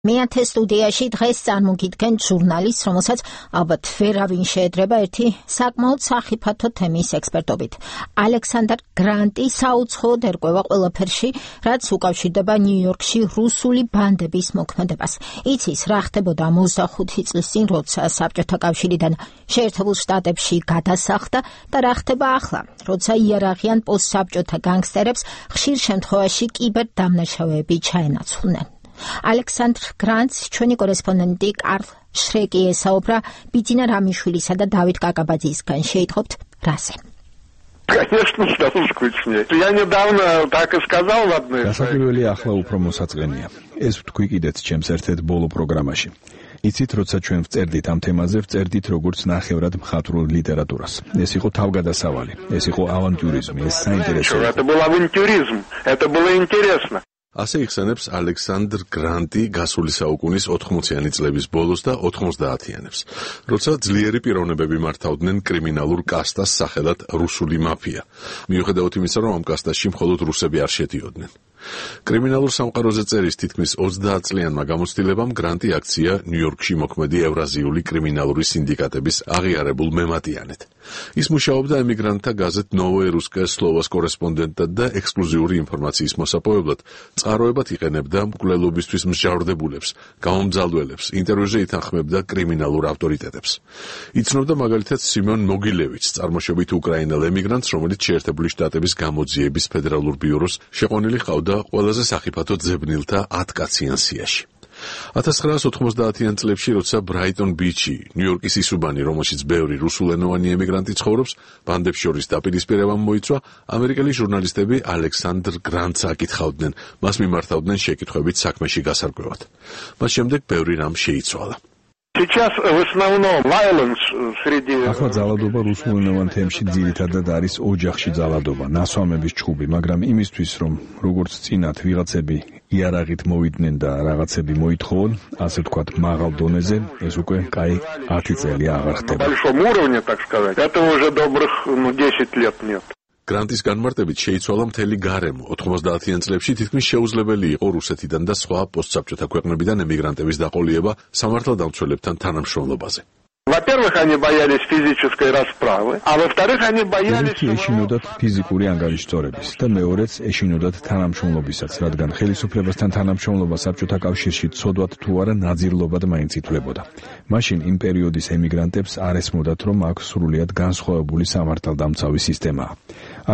მეათე სტუდიაში დღეს წარმოგიდგენ ჟურნალისტს, რომელსაც ალბათ ვერავინ შეედრება ერთი საკმაოდ სახიფათო თემის ექსპერტობით. ალექსანდრ გრანტი საუცხოოდ ერკვევა ყველაფერში, რაც უკავშირდება ნიუ-იორკში რუსული ბანდების მოქმედებას. იცის, რა ხდებოდა 25 წლის წინ, როცა საბჭოთა კავშირიდან შეერთებულ შტატებში გადასახლდა და რა ხდება ახლა, როცა იარაღიან პოსტსაბჭოთა განგსტერებს ხშირ შემთხვევაში კიბერდამნაშავეები ჩაენაცვლნენ. ალექსანდრ გრანტს ჩვენი კორესპონდენტი კარლ შრეკი ესაუბრა ბიძინა რამიშვილისა და დავით კაკაბაძისგან. შეიტყობთ რაზე? Конечно, стало скучнее. Я недавно так и сказал в одной. Გასაკვირველი ახლა უფრო მოსაწყენია. ეს ვთქვი კიდეც ჩემს ერთ-ერთ ბოლო პროგრამაში. იცით, როცა ჩვენ ვწერდით ამ თემაზე, ვწერდით როგორც ნახევრად მხატვრულ ლიტერატურას. ეს იყო თავგადასავალი, ეს იყო ავანტიურიზმი, ეს საინტერესო. Это был авантюризм, это было интересно. ასე იხსენებს ალექსანდრ გრანტი გასული საუკუნის 80-იანი წლების ბოლოს და 90-იანებს, როცა ძლიერი პიროვნებები მართავდნენ კრიმინალურ კასტას სახელად რუსული მაფია, მიუხედავად იმისა, რომ ამ კასტაში მხოლოდ რუსები არ შედიოდნენ. კრიმინალურ სამყაროზე წერის თითქმის 30 წლიანმა გამოცდილებამ გრანტი აქცია ნიუ-იორკში მოქმედი ევრაზიული კრიმინალური სინდიკატების აღიარებულ მემატიანედ. ის მუშაობდა ემიგრანტთა გაზეთ ნოვოე რუსკაია სლოვას კორესპონდენტად და ექსკლუზიური ინფორმაციის მოსაპოვებლად წყაროებად იყენებდა მკვლელობისთვის მსჯავრდებულებს, გამომძალველებს, ინტერვიუზე ითანხმებდა კრიმინალურ ავტორიტეტებს. იცნობდა მაგალითად სიმონ მოგილევიჩს, წარმოშობით უკრაინელ ემიგრანტს, რომელიც შეერთებული შტატების გამოძიების ფედერალურ ბიუროს შეყვანილი ჰყავდა ყველაზე სახიფათო ძებნილთა 10 კაციან სიაში. 1990-იან წლებში, როცა ბრაიტონ ბიჩი, ნიუ-იორკის ისუბანი, რომელშიც ბევრი რუსულენოვანი ემიგრანტი ცხოვრობს, ბანდებს შორის დაპირისპირებამ მოიცვა, ამერიკელი ჟურნალისტები ალექსანდრ გრანტს აკითხავდნენ, მას მიმართავდნენ შეკითხვებით საქმეში გასარკვევად. მას შემდეგ ბევრი რამ შეიცვალა. Сейчас в основном violence среди. ახლა ძალადობა რუსულენოვან თემში ძირითადად არის ოჯახში ძალადობა, ნასვამების ჩხუბი, მაგრამ იმისთვის, რომ როგორც წინათ ვიღაცები იარაღით მოვიდნენ და რაღაცები მოითხოვონ, ასე ვთქვათ, მაღალ დონეზე, ეს უკვე კაი 10 წელი აღარ ხდება. На большом уровне, так сказать, это уже добрых 10 лет нет. გრანტის განმარტებით შეიცვალა მთელი გარემო. 90-იან წლებში თითქმის შეუძლებელი იყო რუსეთიდან და სხვა პოსტსაბჭოთა ქვეყნებიდან ემიგრანტების დაყოლიება სამართალდამცველებთან თანამშრომლობაზე. Во-первых, они боялись физической расправы, а во-вторых, они боялись ეშინოდათ ფიზიკური ანგარიშწორების და მეორეც ეშინოდათ თანამშრომლობისაც, რადგან ხელისუფლებასთან თანამშრომლობა საბჭოთა კავშირში ცოდვათ თუ არა ნაძირლობად მაინც ითვლებოდა. მაშინ იმ პერიოდის ემიგრანტებს არ ესმოდათ, რომ აქვს სრულიად განსხვავებული სამართალდამცავი სისტემაა.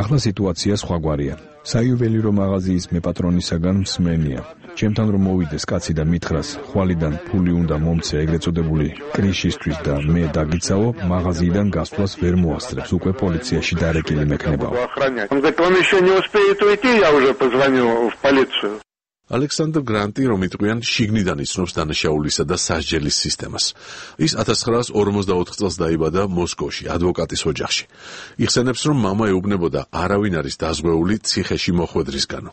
ახლა სიტუაცია სხვაგვარია. საიუველირო მაღაზიის მეპატრონისაგან მსმენია. ჩემთან რომ მოვიდეს კაცი და მითხრას, ხვალიდან ფული უნდა მომცე ეგრეთ წოდებული კრიშისთვის და მე დაგიცავო, მაღაზიიდან გასვლას ვერ მოასწრებს, უკვე პოლიციაში დარეკილი მექნებაო. Он говорит, он еще не успеет уйти, я уже позвоню в полицию. ალექსანდრ გრანტი, რომ იტყვიან, შიგნიდან იცნობს დანაშაულისა და სასჯელის სისტემას. ის 1944 წელს დაიბადა მოსკოვში, ადვოკატის ოჯახში. იხსენებს, რომ მამა ეუბნებოდა, არავინ არის დაზღვეული ციხეში მოხვედრისგანო.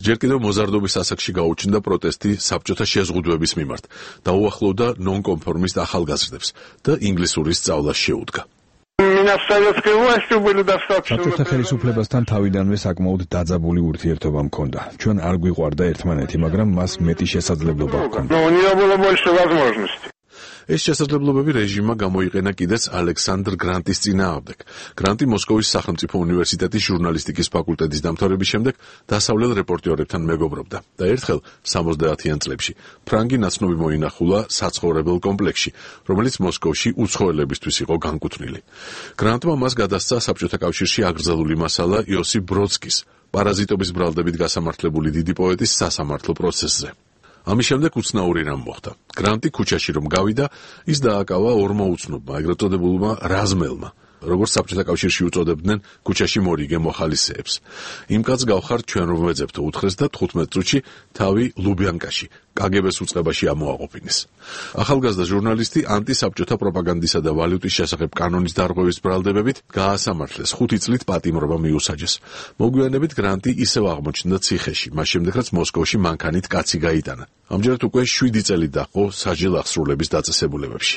ჯერ კიდევ მოზარდობის ასაკში გაუჩნდა პროტესტი საბჭოთა შეზღუდვების მიმართ და უახლოვდა ნონკონფორმისტ ახალგაზრდებს და ინგლისურის სწავლას შეუდგა. საბჭოთა ხელისუფლებასთან თავიდანვე საკმაოდ დაძაბული ურთიერთობა მქონდა. ჩვენ არ გვიყვარდა ერთმანეთი, მაგრამ მას მეტი შესაძლებლობა ჰქონდა. ეს შესაძლებლობები რეჟიმმა გამოიყენა კიდეც ალექსანდრ გრანტის წინააღმდეგ. გრანტი მოსკოვის სახელმწიფო უნივერსიტეტის ჟურნალისტიკის ფაკულტეტის დამთავრების შემდეგ დასავლელ რეპორტიორებთან მეგობრობდა და ერთხელ 70-იან წლებში ფრანგი ნაცნობი მოინახულა საცხოვრებელ კომპლექსში, რომელიც მოსკოვში უცხოელებისთვის იყო განკუთვნილი. გრანტმა მას გადასცა საბჭოთა კავშირში აკრძალული მასალა იოსიფ ბროდსკის, პარაზიტობის ბრალდებით გასამართლებული დიდი პოეტის სასამართლო პროცესზე. ამის შემდეგ უცნაური რამ მოხდა. გრანტი ქუჩაში რომ გავიდა, ის დააკავა ორმა უცნობმა, ეგრეთ წოდებულმა რაზმელმა, როგორც საბჭოთა კავშირში უწოდებდნენ ქუჩაში მორიგე მოხალისეებს. იმ კაცს გავხართ ჩვენ რომ ვეძებთო, უთხრეს და 15 წუთში თავი ლუბიანკაში, კგბ-ს უწყებაში ამოაყოფინეს. ახალგაზრდა ჟურნალისტი ანტისაბჭოთა პროპაგანდისა და ვალუტის შესახებ კანონის დარღვევის ბრალდებებით გაასამართლეს, 5 წლით პატიმრობა მიუსაჯეს. მოგვიანებით გრანტი ისევ აღმოჩნდა ციხეში, მას შემდეგ რაც მოსკოვში მანქანით კაცი გაიტანა. ამჯერად უკვე 7 წელი დაჰყო სასჯელ აღსრულების დაწესებულებებში.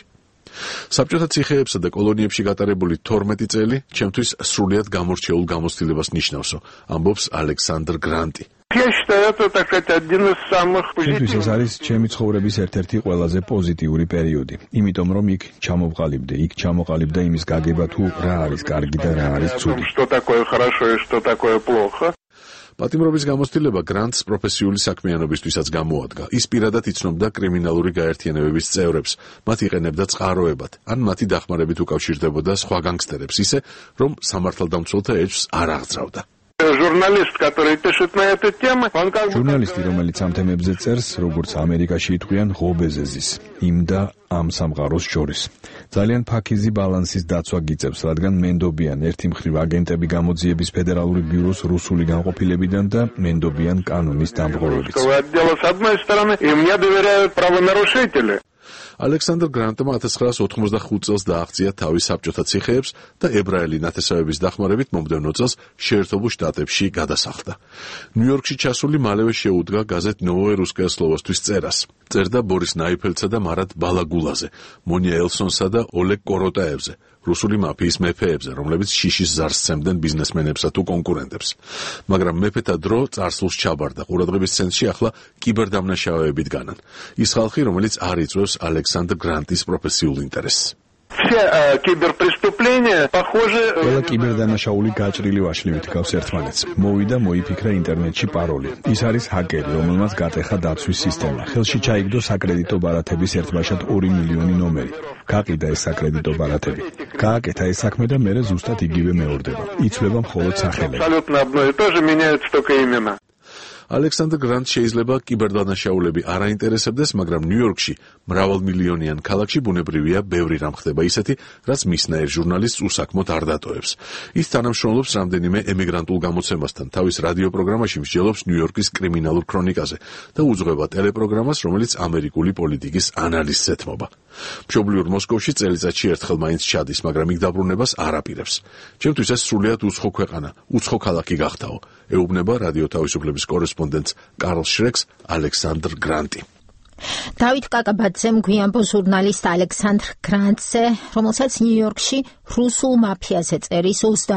საბჭოთა ციხეებსა და კოლონიებში გატარებული 12 წელი ჩემთვის სრულიად გამორჩეულ გამოცდილებას ნიშნავსო, ამბობს ალექსანდრ გრანტი. Я считаю, это, так сказать, один из самых ჩემთვის ეს არის ჩემი ცხოვრების ერთ-ერთი ყველაზე პოზიტიური პერიოდი, იმიტომ რომ იქ ჩამოყალიბდა იმის გაგება თუ რა არის კარგი და რა არის ცუდი. Что такое хорошо и что такое плохо. პატიმრობის გამოცდილება გრანტს პროფესიული საქმიანობისთვისაც გამოადგა. ის პირადად იცნობდა კრიმინალური გაერთიანებების წევრებს, მათ იყენებდა წყაროებად, ან მათი დახმარებით უკავშირდებოდა სხვა განგსტერებს ისე, რომ სამართალდამცველთა ეჭვს არ აღძრავდა. Журналист, который пишет на эту тему, он как бы... ჟურნალისტი, რომელიც ამ თემებზე წერს, როგორც ამერიკაში ითქვიან, ღობეზეზის, იმ და ამ სამყაროს შორის. ძალიან ფაქიზი ბალანსის დაცვა გიწევს, რადგან მენდობიან ერთი მხრივ აგენტები გამოძიების ფედერალური ბიუროს რუსული განყოფილებიდან და მენდობიან კანონის დამღობებიც. Отдела с одной стороны, и мне доверяют правонарушители. ალექსანდრ გრანტმა 1985 წელს დააღწია თავი საბჭოთა ციხეებს და ებრაელი ნათესავების დახმარებით მომდევნო წელს შეერთებულ შტატებში გადასახლდა. ნიუ-იორკში ჩასული მალევე შეუდგა გაზეთ ნოვოე რუსკაია სლოვოსთვის წერას. წერდა ბორის ნაიფელცსა და მარად ბალაგულაზე, მონია ელსონსა და ოლეგ კოროტაევზე, რუსული მაფიის მეფეებზე, რომლებიც შიშის ზარს სცემდნენ ბიზნესმენებსა თუ კონკურენტებს. მაგრამ მეფეთა დრო წარსულს ჩაბარდა. ყურადღების ცენტრში ახლა კიბერდამნაშავეებით განან. ის ხალხი, რომელიც არ იწვევს ალექსანდრ გრანტის პროფესიულ ინტერესს. Все киберпреступления похожи... ყველა კიბერდანაშაული გაჭრილი ვაშლივით გავს ერთმანეთს. მოვიდა მოიფიქრა ინტერნეტში პაროლი. ის არის ჰაკერი, რომელმაც გატეხა დაცვის სისტემა. ხელში ჩაიგდო საკრედიტო ბარათების ერთბაშად 2 მილიონი ნომერი. გაყიდა ეს საკრედიტო ბარათები. გააკეთა ეს საქმე და მერე ზუსტად იგივე მეორდება. იცვლება მხოლოდ სახელები. Абсолютно одно и то же, меняются только имена. ალექსანდრ გრანტს შეიძლება კიბერდანაშაულები არ აინტერესებდეს, მაგრამ ნიუ-იორკში მრავალმილიონიან ქალაქში ბუნებრივია ბევრი რამ ხდება ისეთი, რაც მისნაირ ჟურნალისტს უსაქმოდ არ დატოვებს. ის თანამშრომლობს რამდენიმე ემიგრანტულ გამოცემასთან, თავის რადიო პროგრამაში მსჯელობს ნიუ-იორკის კრიმინალურ ქრონიკაზე და უძღვება ტელეპროგრამას, რომელიც ამერიკული პოლიტიკის ანალიზს ეთმობა. მშობლიურ მოსკოვში წელიწადში ერთხელ მაინც ჩადის, მაგრამ იქ დაბრუნებას არ აპირებს. ჩემთვის ეს სრულიად უცხო ქვეყანა, უცხო ქალაქი გახდაო. ეუბნება რადიო თავისუფლების კორესპონდენტს კარლ შრეკს ალექსანდრ გრანტი. დავით კაკაბაძემ გვიანბო ჟურნალისტ ალექსანდრ გრანტზე, რომელსაც ნიუ-იორკში რუსულ მაფიაზე წერის 30